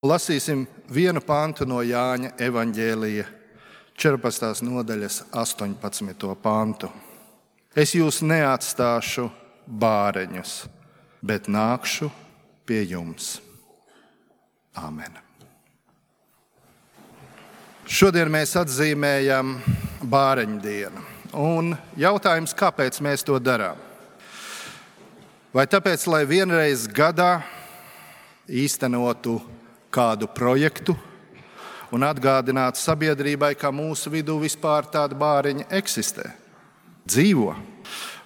Lasīsim vienu pantu no Jāņa evaņģēlija 14. nodaļas 18. pantu. Es jūs neatstāšu bāreņus, bet nākšu pie jums. Āmen. Šodien mēs atzīmējam bāreņu dienu. Un jautājums, kāpēc mēs to darām? Vai tāpēc, lai vienreiz gadā īstenotu kādu projektu un atgādinātu sabiedrībai, ka mūsu vidū vispār tāda bāriņa eksistē, dzīvo?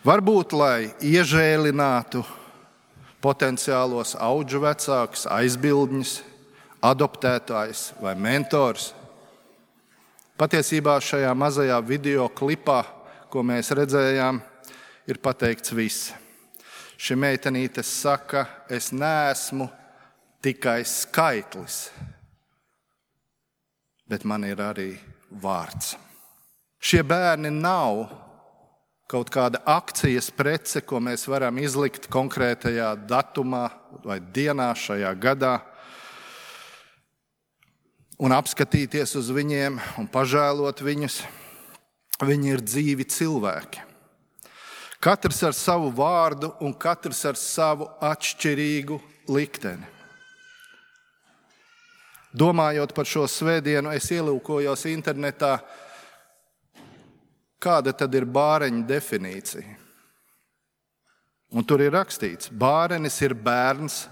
Varbūt, lai iežēlinātu potenciālos audžu vecākus, aizbildņus, adoptētājus vai mentors. Patiesībā šajā mazajā video klipā, ko mēs redzējām, ir pateikts viss. Šī meitenīte saka, es neesmu tikai skaitlis, bet man ir arī vārds. Šie bērni nav kaut kāda akcijas prece, ko mēs varam izlikt konkrētajā datumā vai dienā šajā gadā un apskatīties uz viņiem un pažēlot viņus. Viņi ir dzīvi cilvēki. Katrs ar savu vārdu un katrs ar savu atšķirīgu likteni. Domājot par šo svētdienu, es ielūkojos internetā, kāda tad ir bāreņa definīcija. Un tur ir rakstīts, bārenis ir bērns,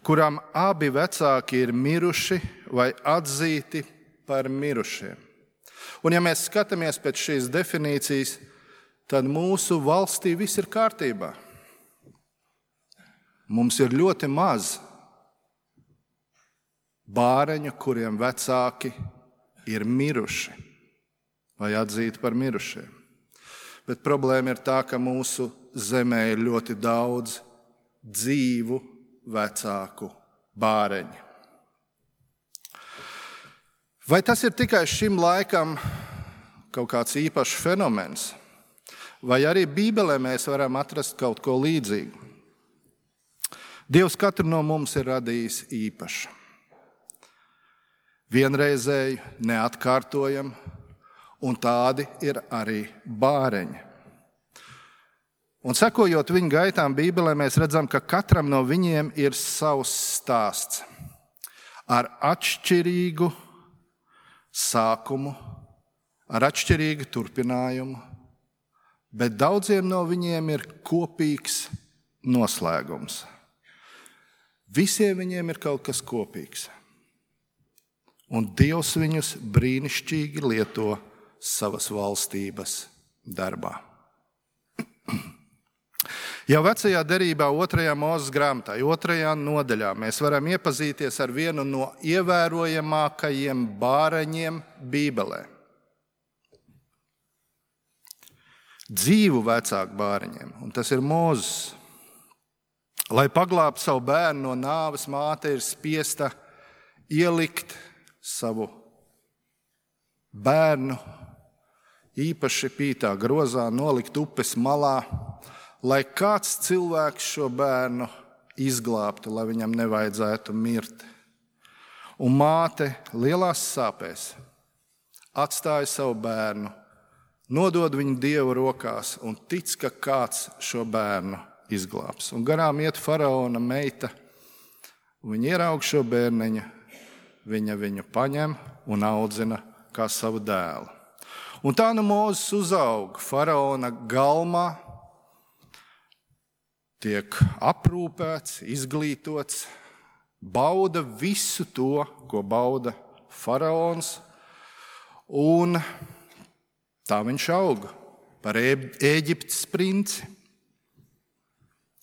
kuram abi vecāki ir miruši vai atzīti par mirušiem. Un ja mēs skatāmies pēc šīs definīcijas, tad mūsu valstī viss ir kārtībā. Mums ir ļoti maz bāreņu, kuriem vecāki ir miruši vai atzīti par mirušiem. Bet problēma ir tā, ka mūsu zemē ir ļoti daudz dzīvu vecāku bāreņu. Vai tas ir tikai šim laikam kaut kāds īpašs fenomens? Vai arī Bībelē mēs varam atrast kaut ko līdzīgu? Dievs katru no mums ir radījis īpašu. Vienreizēju, neatkārtojam, un tādi ir arī bāreņi. Un sekojot viņu gaitām Bībelē, mēs redzam, ka katram no viņiem ir savs stāsts ar atšķirīgu sākumu, ar atšķirīgu turpinājumu, bet daudziem no viņiem ir kopīgs noslēgums. Visiem viņiem ir kaut kas kopīgs. Un Dievs viņus brīnišķīgi lieto savas valstības darbā. Jau vecajā derībā 2. Mūzes grāmatā, 2. nodaļā, mēs varam iepazīties ar vienu no ievērojamākajiem bāreņiem Bībelē. Dzīvu vecāku bāreņiem, un tas ir Mūzes. Lai paglābtu savu bērnu no nāves, māte ir spiesta ielikt savu bērnu īpaši pītā grozā, nolikt upes malā, lai kāds cilvēks šo bērnu izglābtu, lai viņam nevajadzētu mirt. Un māte lielās sāpēs atstāja savu bērnu, nodod viņu Dieva rokās un tic, ka kāds šo bērnu izglābs. Un garām iet faraona meita, un viņa ieraug šo bērniņu, viņa viņu paņem un audzina kā savu dēlu. Un tā nu Mūzes uzaug faraona galmā, tiek aprūpēts, izglītots, bauda visu to, ko bauda faraons, un tā viņš auga par Ēģiptes princi.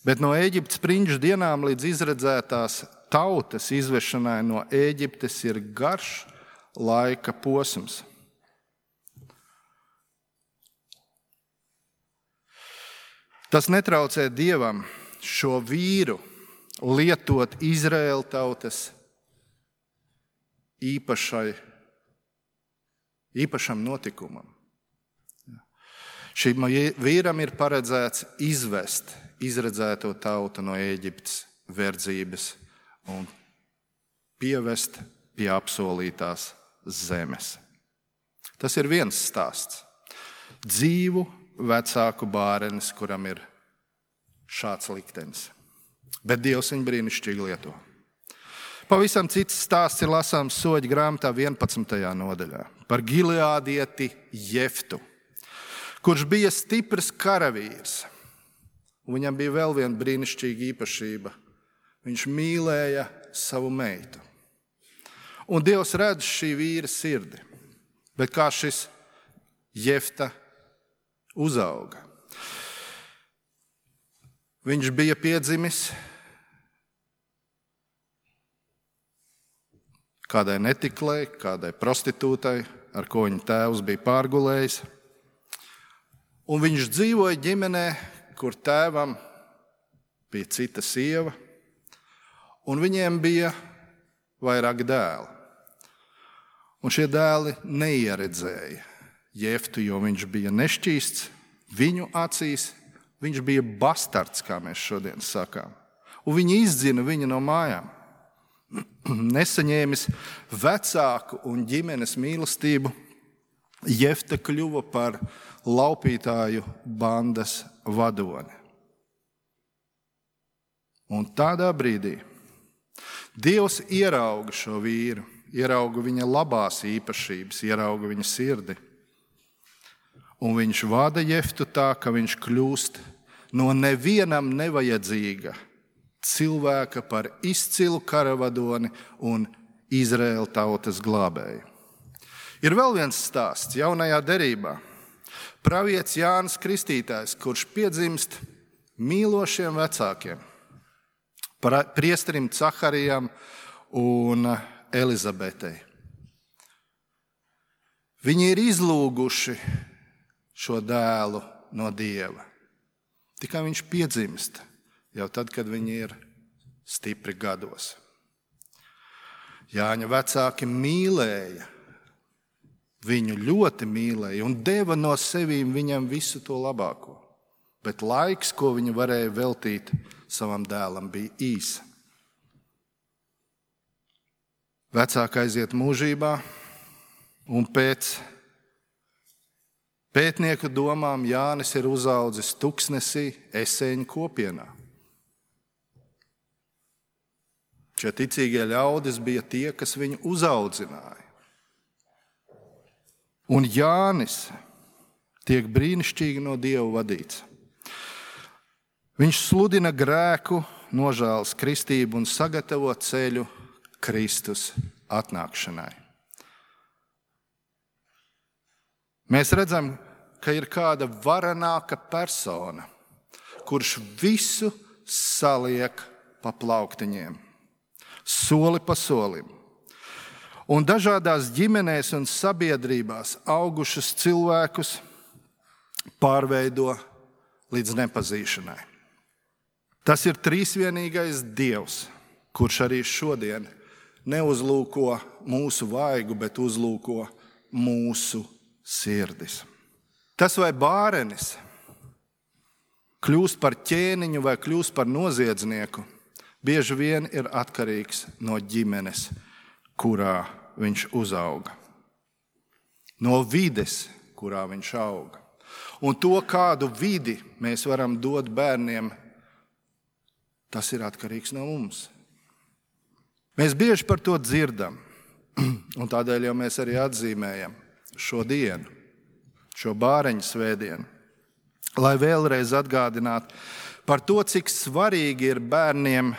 Bet no Ēģiptes prinču dienām līdz izredzētās tautas izvešanai no Ēģiptes ir garš laika posms. Tas netraucē Dievam šo vīru lietot Izraēla tautas īpašam notikumam. Šim vīram ir paredzēts izvest izredzēto tautu no Ēģiptes verdzības un pievest pie apsolītās zemes. Tas ir viens stāsts. Dzīvu vecāku bārenis, kuram ir šāds liktenis. Bet Dievs viņu brīnišķīgi lieto. Pavisam cits stāsts ir lasāms Soļu grāmatā 11. nodaļā par Gileādieti Jeftu, kurš bija stiprs karavīrs. Viņam bija vēl viena brīnišķīga īpašība. Viņš mīlēja savu meitu. Un Dievs redz šī vīra sirdi. Bet kā šis Jefta uzauga? Viņš bija piedzimis kādai netiklei, kādai prostitūtai, ar ko viņa tēvs bija pārgulējis. Un viņš dzīvoja ģimenē, kur tēvam bija cita sieva, un viņiem bija vairāk dēli. Un šie dēli neieredzēja Jeftu, jo viņš bija nešķīsts viņu acīs. Viņš bija bastards, kā mēs šodien sakām. Un viņi izdzina viņu no mājām. Nesaņēmis vecāku un ģimenes mīlestību, Jefta kļuva par laupītāju bandas vadoni. Un tādā brīdī Dievs ierauga šo vīru, ierauga viņa labās īpašības, ierauga viņa sirdi. Un viņš vada Jeftu tā, ka viņš kļūst no nevienam nevajadzīga cilvēka par izcilu karavadoni un Izraēla tautas glābēju. Ir vēl viens stāsts jaunajā derībā. Pravietis Jānis Kristītājs, kurš piedzimst mīlošiem vecākiem, priesterim Caharijam un Elizabetei. Viņi ir izlūguši šo dēlu no Dieva. Tikai viņš piedzimst jau tad, kad viņi ir stipri gados. Jāņa vecāki mīlēja, viņu ļoti mīlēja un deva no sevīm viņam visu to labāko. Bet laiks, ko viņi varēja veltīt savam dēlam, bija īs. Vecāki aiziet mūžībā, un pēc pētnieku domām Jānis ir uzaudzis tuksnesī Eseņu kopienā. Šie ticīgie ļaudis bija tie, kas viņu uzaudzināja. Un Jānis tiek brīnišķīgi no Dieva vadīts. Viņš sludina grēku, nožēlas kristību un sagatavo ceļu Kristus atnākšanai. Mēs redzam, ka ir kāda varenāka persona, kurš visu saliek pa plauktiņiem, soli pa solim. Un dažādās ģimenēs un sabiedrībās augušus cilvēkus pārveido līdz nepazīšanai. Tas ir trīsvienīgais Dievs, kurš arī šodien neuzlūko mūsu vaigu, bet uzlūko mūsu sirdis. Tas, vai bārenis kļūst par ķēniņu vai kļūst par noziedznieku, bieži vien ir atkarīgs no ģimenes, kurā viņš uzauga. No vides, kurā viņš auga. Un to, kādu vidi mēs varam dot bērniem, tas ir atkarīgs no mums. Mēs bieži par to dzirdam, un tādēļ jau mēs arī atzīmējam šo dienu, šo bāreņu svētdienu, lai vēlreiz atgādinātu par to, cik svarīgi ir bērniem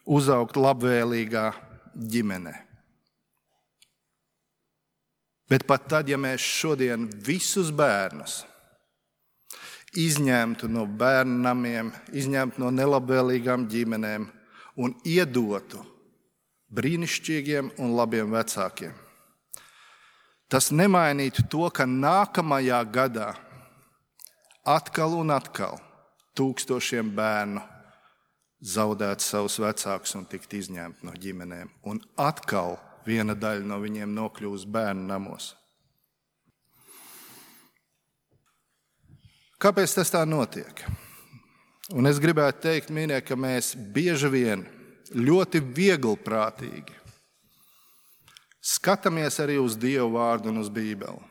uzaugt labvēlīgā ģimenē. Bet pat tad, ja mēs šodien visus bērnus izņemtu no bērnu namiem, izņemtu no nelabvēlīgām ģimenēm un iedotu brīnišķīgiem un labiem vecākiem, tas nemainītu to, ka nākamajā gadā atkal un atkal tūkstošiem bērnu zaudētu savus vecākus un tikt izņemti no ģimenēm. Un atkal viena daļa no viņiem nokļūs bērnu namos. Kāpēc tas tā notiek? Un es gribētu teikt, mīļie, ka mēs bieži vien ļoti vieglprātīgi Skatāmies arī uz Dievu vārdu un uz Bībeli.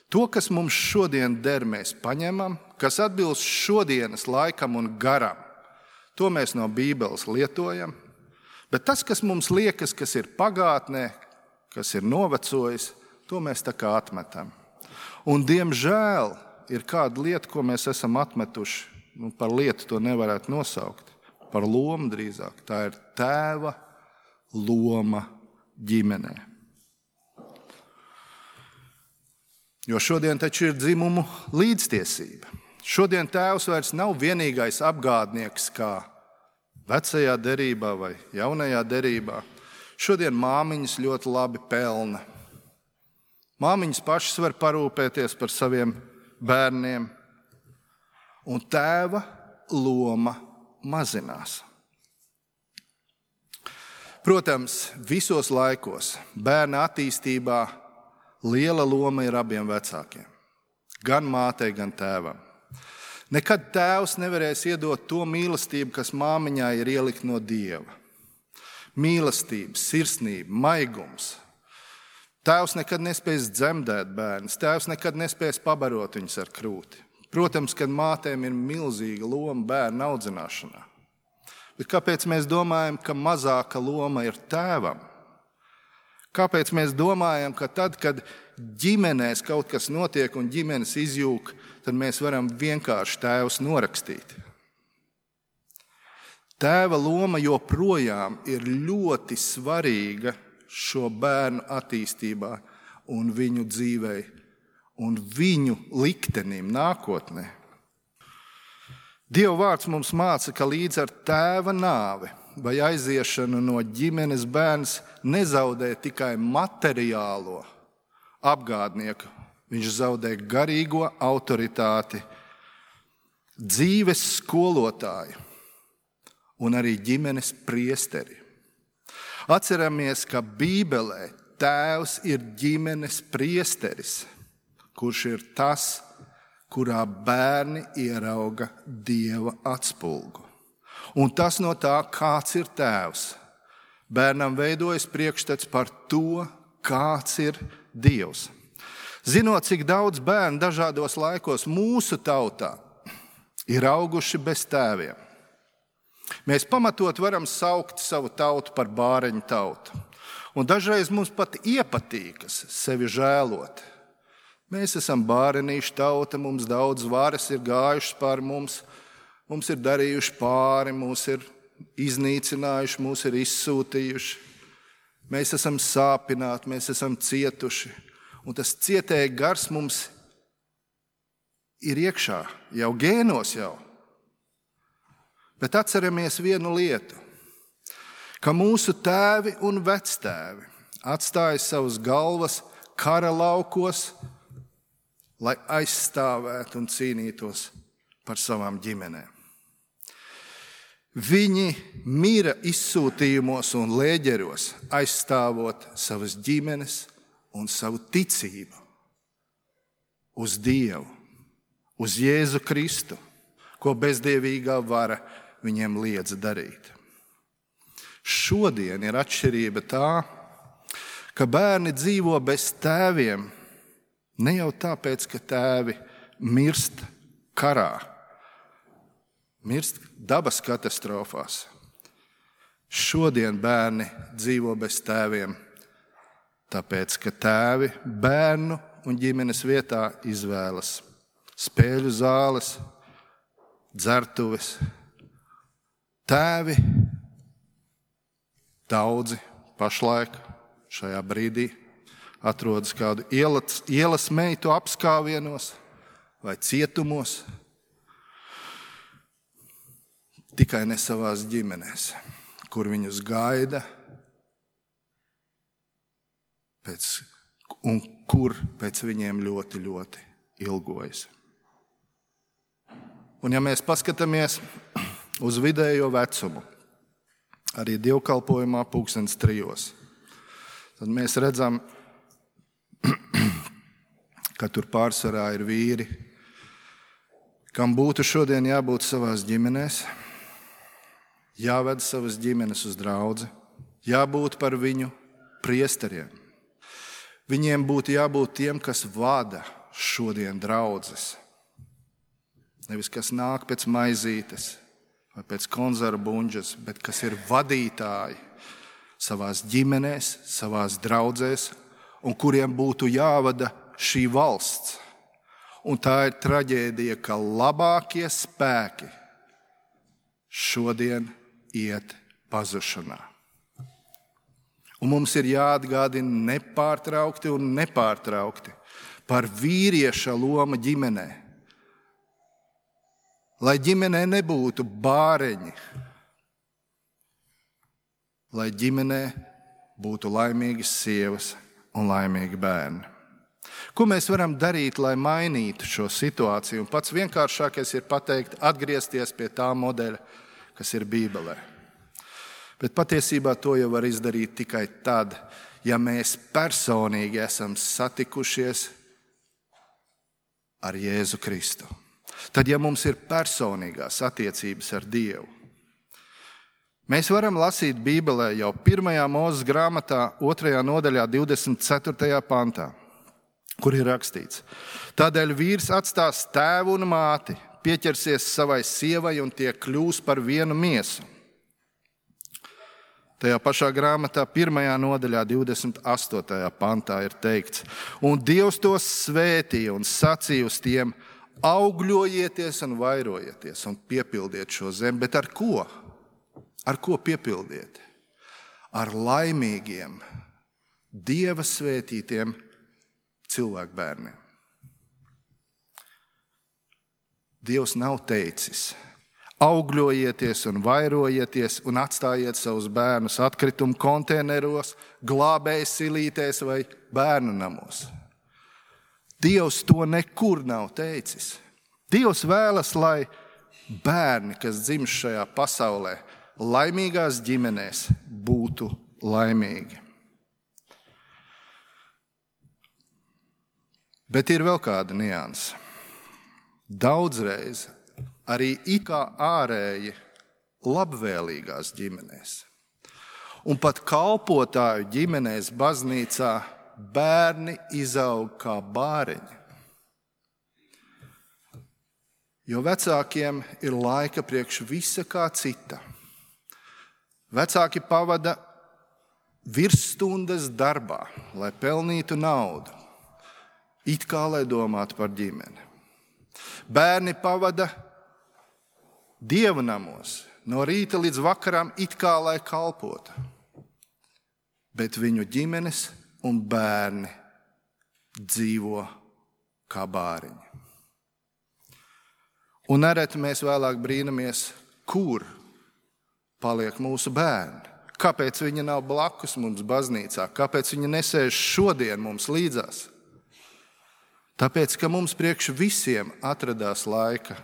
To, kas mums šodien der, mēs paņemam, kas atbilst šodienas laikam un garam, to mēs no Bībeles lietojam, bet tas, kas mums liekas, kas ir pagātnē, kas ir novecojis, to mēs tā kā atmetam. Un, diemžēl, ir kāda lieta, ko mēs esam atmetuši, par lietu to nevarētu nosaukt, par lomu drīzāk. Tā ir tēva loma ģimenē. Jo šodien taču ir dzimumu līdztiesība. Šodien tēvs vairs nav vienīgais apgādnieks kā vecajā derībā vai jaunajā derībā. Šodien māmiņas ļoti labi pelna. Māmiņas pašas var parūpēties par saviem bērniem, un tēva loma mazinās. Protams, visos laikos bērna attīstībā liela loma ir abiem vecākiem, gan mātei, gan tēvam. Nekad tēvs nevarēs iedot to mīlestību, kas māmiņā ir ielikt no Dieva. Mīlestība, sirsnība, maigums. Tēvs nekad nespēs dzemdēt bērnus, tēvs nekad nespēs pabarot viņus ar krūti. Protams, kad mātēm ir milzīga loma bērnu audzināšanā. Bet kāpēc mēs domājam, ka mazāka loma ir tēvam? Kāpēc mēs domājam, ka tad, kad ģimenēs kaut kas notiek un ģimenes izjūg, tad mēs varam vienkārši tēvus norakstīt? Tēva loma joprojām ir ļoti svarīga šo bērnu attīstībā un viņu dzīvei un viņu liktenim nākotnē. Dieva vārds mums māca, ka līdz ar tēva nāvi vai aiziešanu no ģimenes bērns nezaudē tikai materiālo apgādnieku, viņš zaudē garīgo autoritāti, dzīves skolotāju un arī ģimenes priesteri. Atceramies, ka Bībelē tēvs ir ģimenes priesteris, kurš ir tas, kurā bērni ierauga Dieva atspulgu. Un tas no tā, kāds ir tēvs. Bērnam veidojas priekšstats par to, kāds ir Dievs. Zinot, cik daudz bērnu dažādos laikos mūsu tautā ir auguši bez tēviem, mēs pamatot varam saukt savu tautu par bāreņu tautu. Un dažreiz mums pat iepatīkas sevi žēlot. Mēs esam bārenīšu tauta, mums daudz varas ir gājušas pār mums. Mums ir darījuši pāri, mūs ir iznīcinājuši, mūs ir izsūtījuši. Mēs esam sāpināti, mēs esam cietuši. Un tas cietēja gars mums ir iekšā, jau gēnos jau. Bet atceramies vienu lietu, ka mūsu tēvi un vectēvi atstāja savas galvas kara laukos, lai aizstāvētu un cīnītos par savām ģimenēm. Viņi mira izsūtījumos un lēģeros, aizstāvot savas ģimenes un savu ticību uz Dievu, uz Jēzu Kristu, ko bezdievīgā vara viņiem liedza darīt. Šodien ir atšķirība tā, ka bērni dzīvo bez tēviem ne jau tāpēc, ka tēvi mirst karā, mirst dabas katastrofās. Šodien bērni dzīvo bez tēviem, tāpēc, ka tēvi bērnu un ģimenes vietā izvēlas spēļu zāles, dzertuves. Tēvi daudzi pašlaik šajā brīdī atrodas kādu ielas meitu apskāvienos vai cietumos, tikai ne savās ģimenēs, kur viņus gaida un kur pēc viņiem ļoti, ļoti ilgojas. Un ja mēs paskatāmies uz vidējo vecumu, arī dievkalpojumā 3:00, tad mēs redzam, ka tur pārsvarā ir vīri, kam būtu šodien jābūt savās ģimenēs, jāved savas ģimenes uz draudzi, jābūt par viņu priesteriem, Viņiem būtu jābūt tiem, kas vada šodien draudzes. Nevis kas nāk pēc maizītes vai pēc konzervu buņģes, bet kas ir vadītāji savās ģimenēs, savās draudzēs, un kuriem būtu jāvada šī valsts. Un tā ir traģēdija, ka labākie spēki šodien iet pazušanā. Un mums ir jāatgādina nepārtraukti par vīrieša lomu ģimenē. Lai ģimenē nebūtu bāreņi, lai ģimenē būtu laimīgas sievas un laimīgi bērni. Ko mēs varam darīt, lai mainītu šo situāciju? Un pats vienkāršākais ir pateikt, atgriezties pie tā modeļa, kas ir Bībelē. Bet patiesībā to jau var izdarīt tikai tad, ja mēs personīgi esam satikušies ar Jēzu Kristu. Tad, ja mums ir personīgās attiecības ar Dievu. Mēs varam lasīt Bībelē jau 1. Mūzes grāmatā, 2. nodaļā, 24. pantā, kur ir rakstīts: Tādēļ vīrs atstās tēvu un māti, pieķersies savai sievai un tie kļūs par vienu miesu. Tajā pašā grāmatā 1. nodaļā 28. pantā ir teikts: Un Dievs tos svētīja un sacīja uz tiem: augļojieties un vairojieties un piepildiet šo zemi. Bet ar ko? Ar ko piepildiet? Ar laimīgiem, Dieva svētītiem cilvēku bērniem. Dievs nav teicis: augļojieties un vairojieties un atstājiet savus bērnus atkritumu konteineros, glābēju silītēs vai bērnu namos. Dievs to nekur nav teicis. Dievs vēlas, lai bērni, kas dzimst šajā pasaulē, laimīgās ģimenēs, būtu laimīgi. Bet ir vēl kāda nianse. Daudzreiz arī it kā ārēji labvēlīgās ģimenēs. Un pat kalpotāju ģimenēs baznīcā bērni izaug kā bāreņi. Jo vecākiem ir laika priekš visa kā cita. Vecāki pavada virsstundas darbā, lai pelnītu naudu, it kā lai domātu par ģimeni. Bērni pavada Dieva namos, no rīta līdz vakaram, it kā lai kalpotu. Bet viņu ģimenes un bērni dzīvo kā bāriņi. Un nereti mēs vēlāk brīnamies, kur paliek mūsu bērni. Kāpēc viņi nav blakus mums baznīcā? Kāpēc viņi nesēž šodien mums līdzās? Tāpēc, ka mums priekš visiem atradās laika,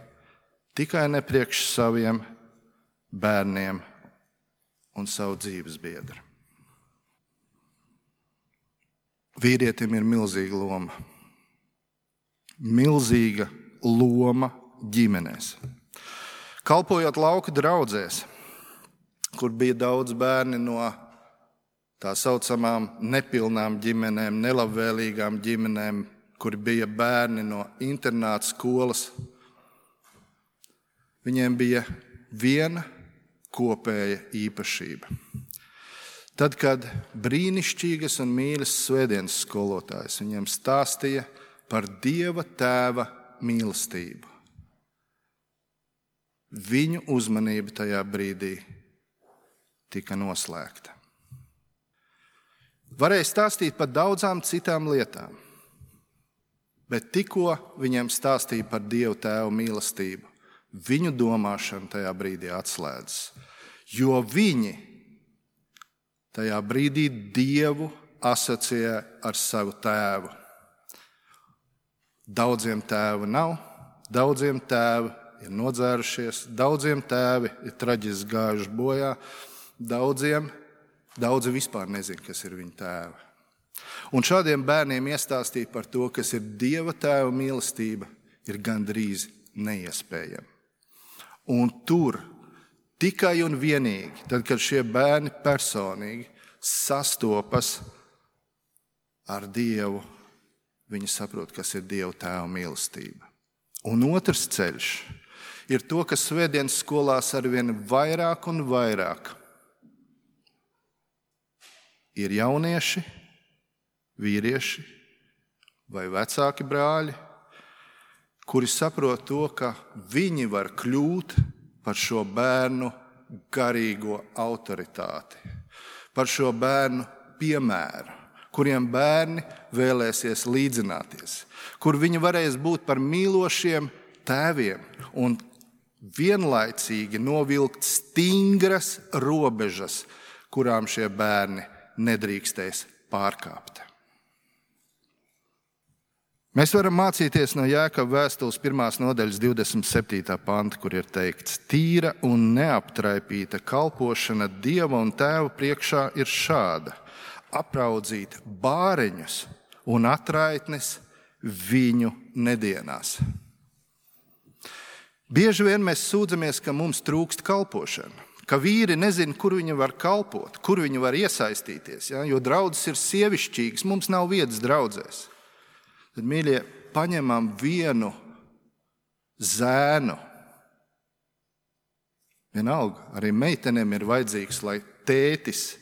tikai ne priekš saviem bērniem un savu dzīves biedru. Vīrietim ir milzīga loma. Milzīga loma ģimenēs. Kalpojot lauku draudzēs, kur bija daudz bērni no tā saucamām nepilnām ģimenēm, nelabvēlīgām ģimenēm, kur bija bērni no internāta skolas, viņiem bija viena kopēja īpašība. Tad, kad brīnišķīgas un mīļas svētdienas skolotājs viņiem stāstīja par Dieva tēva mīlestību, viņu uzmanība tajā brīdī tika noslēgta. Varēja stāstīt par daudzām citām lietām, bet tikko viņiem stāstīja par Dieva tēva mīlestību, viņu domāšana tajā brīdī atslēdzas, jo viņi tajā brīdī Dievu asociē ar savu tēvu. Daudziem tēvu nav, daudziem tēvi ir nodzērušies, daudziem tēvi ir traģiski gājuši bojā, daudzi vispār nezina, kas ir viņa tēvi. Un šādiem bērniem iestāstīt par to, kas ir Dieva tēva mīlestība, ir gandrīz neiespējami. Un tur tikai un vienīgi, tad, kad šie bērni personīgi sastopas ar Dievu, viņi saprot, kas ir Dieva Tēva mīlestība. Un otrs ceļš ir to, ka svētdienas skolās arvien vairāk un vairāk ir jaunieši, vīrieši vai vecāki brāļi, kuri saprot to, ka viņi var kļūt par šo bērnu garīgo autoritāti, par šo bērnu piemēru, kuriem bērni vēlēsies līdzināties, kur viņi varēs būt par mīlošiem tēviem un vienlaicīgi novilkt stingras robežas, kurām šie bērni nedrīkstēs pārkāpt. Mēs varam mācīties no Jēkaba vēstules 1. nodaļas 27. panta, kur ir teikts: tīra un neaptraipīta kalpošana Dieva un Tēva priekšā ir šāda: apraudzīt bāreņus un atraitnes viņu nedienās. Bieži vien mēs sūdzamies, ka mums trūkst kalpošana, ka vīri nezina, kur viņi var kalpot, kur viņi var iesaistīties, jo draudzes ir sievišķīgas, mums nav vietas draudzēs. Tad, mīļie, paņemam vienu zēnu. Vienalga, arī meitenēm ir vajadzīgs, lai tētis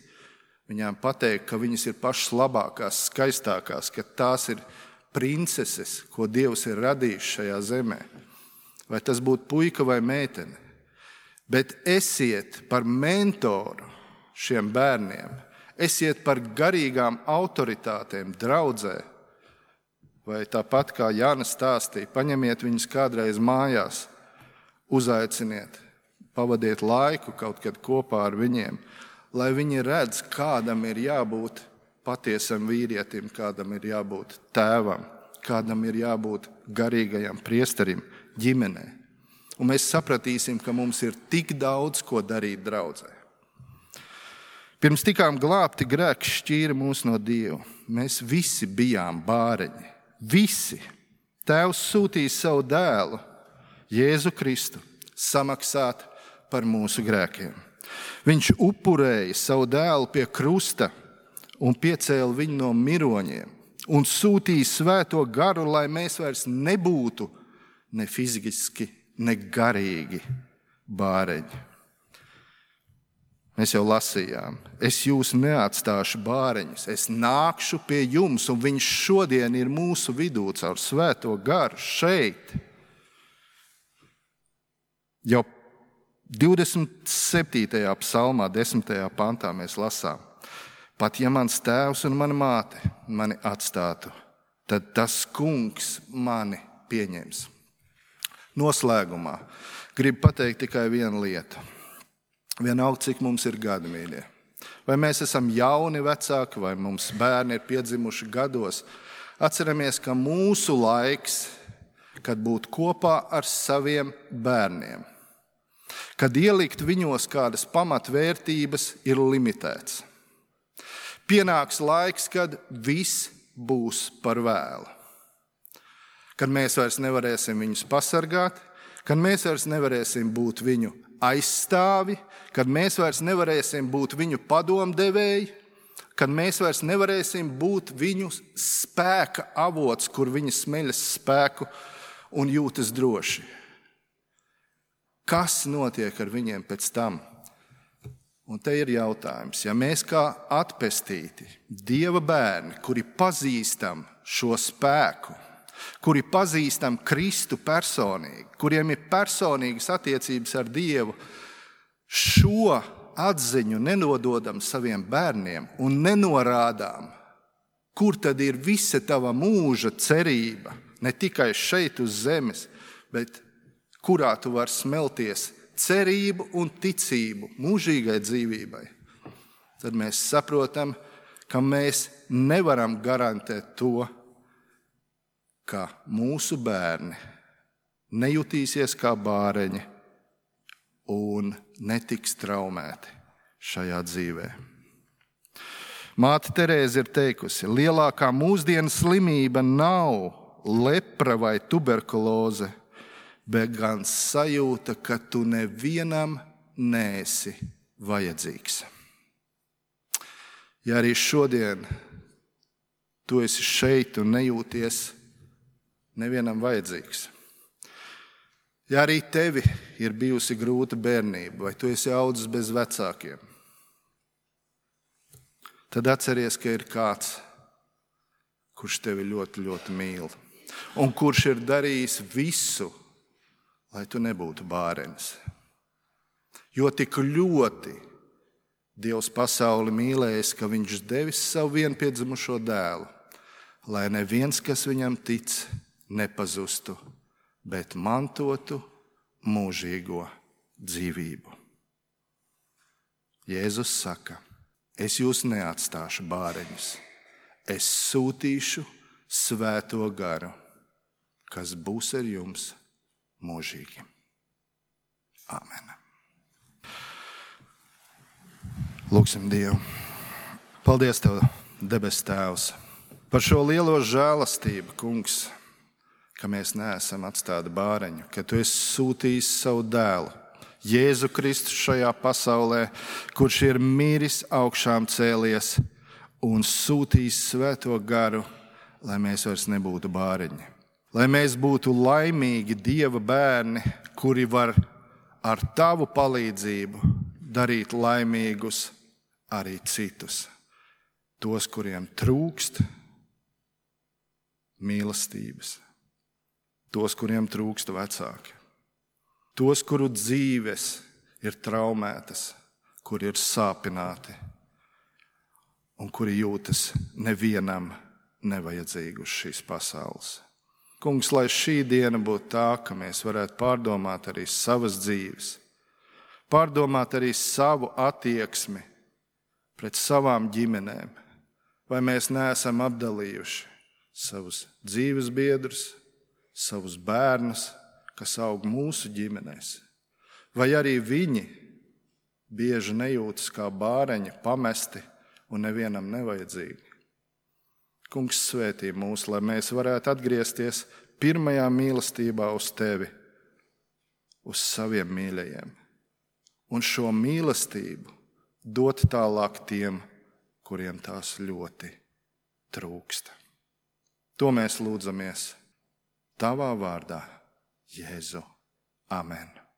viņām pateikt, ka viņas ir pašas labākās, skaistākās, ka tās ir princeses, ko Dievs ir radījis šajā zemē. Vai tas būtu puika vai meitene. Bet esiet par mentoru šiem bērniem, esiet par garīgām autoritātēm draudzē. Vai tāpat kā Jāna stāstīja, paņemiet viņus kādreiz mājās, uzaiciniet, pavadiet laiku kaut kad kopā ar viņiem, lai viņi redz, kādam ir jābūt patiesam vīrietim, kādam ir jābūt tēvam, kādam ir jābūt garīgajam priesterim ģimenē. Un mēs sapratīsim, ka mums ir tik daudz, ko darīt draudzē. Pirms tikām glābti, grēks šķīra mūs no Dieva. Mēs visi bijām bāreņi. Visi. Tēvs sūtīja savu dēlu, Jēzu Kristu, samaksāt par mūsu grēkiem. Viņš upurēja savu dēlu pie krusta un piecēla viņu no miroņiem un sūtīja svēto garu, lai mēs vairs nebūtu ne fiziski, ne garīgi bāreņi. Mēs jau lasījām, es jūs neatstāšu bāreņus, es nākšu pie jums, un viņš šodien ir mūsu vidū caur svēto garu šeit. Jau 27. psalmā, 10. pantā mēs lasām: pat ja mans tēvs un mana māte mani atstātu, tad tas kungs mani pieņems. Noslēgumā gribu pateikt tikai vienu lietu. Vienalga, cik mums ir gadi, mīļie. Vai mēs esam jauni vecāki, vai mums bērni ir piedzimuši gados, atceramies, ka mūsu laiks, kad būt kopā ar saviem bērniem, kad ielikt viņos kādas pamatvērtības, ir limitēts. Pienāks laiks, kad viss būs par vēlu. Kad mēs vairs nevarēsim viņus pasargāt, kad mēs vairs nevarēsim būt viņu aizstāvi, kad mēs vairs nevarēsim būt viņu padomdevēji, kad mēs vairs nevarēsim būt viņu spēka avots, kur viņi smeļas spēku un jūtas droši. Kas notiek ar viņiem pēc tam? Un te ir jautājums, ja mēs kā atpestīti Dieva bērni, kuri pazīstam šo spēku, kuri pazīstam Kristu personīgi, kuriem ir personīgas attiecības ar Dievu, šo atziņu nenododam saviem bērniem un nenorādām, kur tad ir visa tava mūža cerība, ne tikai šeit uz zemes, bet kurā tu vari smelties cerību un ticību mūžīgai dzīvībai, tad mēs saprotam, ka mēs nevaram garantēt to, ka mūsu bērni nejutīsies kā bāreņi un netiks traumēti šajā dzīvē. Māte Terēze ir teikusi, lielākā mūsdienu slimība nav lepra vai tuberkuloze, bet gan sajūta, ka tu nevienam neesi vajadzīgs. Ja arī šodien tu esi šeit un nejūties nevienam vajadzīgs. Ja arī tevi ir bijusi grūta bērnība, vai tu esi audzis bez vecākiem, tad atceries, ka ir kāds, kurš tevi ļoti, ļoti mīl un kurš ir darījis visu, lai tu nebūtu bārenis. Jo tik ļoti Dievs pasauli mīlējis, ka viņš devis savu vienpiedzimušo dēlu, lai neviens, kas viņam tic, nepazustu, bet mantotu mūžīgo dzīvību. Jēzus saka, es jūs neatstāšu bāreņus, es sūtīšu Svēto garu, kas būs ar jums mūžīgi. Āmen. Lūksim Dievu. Paldies Tev, debes Tēvs, par šo lielo žēlastību, Kungs, ka mēs neesam atstāti bāreņu, ka Tu esi sūtījis savu dēlu, Jēzu Kristu šajā pasaulē, kurš ir miris, augšām cēlies un sūtījis Svēto garu, lai mēs vairs nebūtu bāreņi. Lai mēs būtu laimīgi Dieva bērni, kuri var ar Tavu palīdzību darīt laimīgus arī citus. Tos, kuriem trūkst mīlestības. Tos, kuriem trūkst vecāki. Tos, kuru dzīves ir traumētas, kuri ir sāpināti un kuri jūtas nevienam nevajadzīgi uz šīs pasaules. Kungs, lai šī diena būtu tā, ka mēs varētu pārdomāt arī savas dzīves, pārdomāt arī savu attieksmi pret savām ģimenēm, vai mēs neesam apdalījuši savus dzīves biedrus, savus bērnus, kas aug mūsu ģimenēs, vai arī viņi bieži nejūtas kā bāreņi, pamesti un nevienam nevajadzīgi. Kungs, svētī mūs, lai mēs varētu atgriezties pirmajā mīlestībā uz Tevi, uz saviem mīļajiem, un šo mīlestību dot tālāk tiem, kuriem tās ļoti trūkst. To mēs lūdzamies Tavā vārdā, Jēzu. Amen.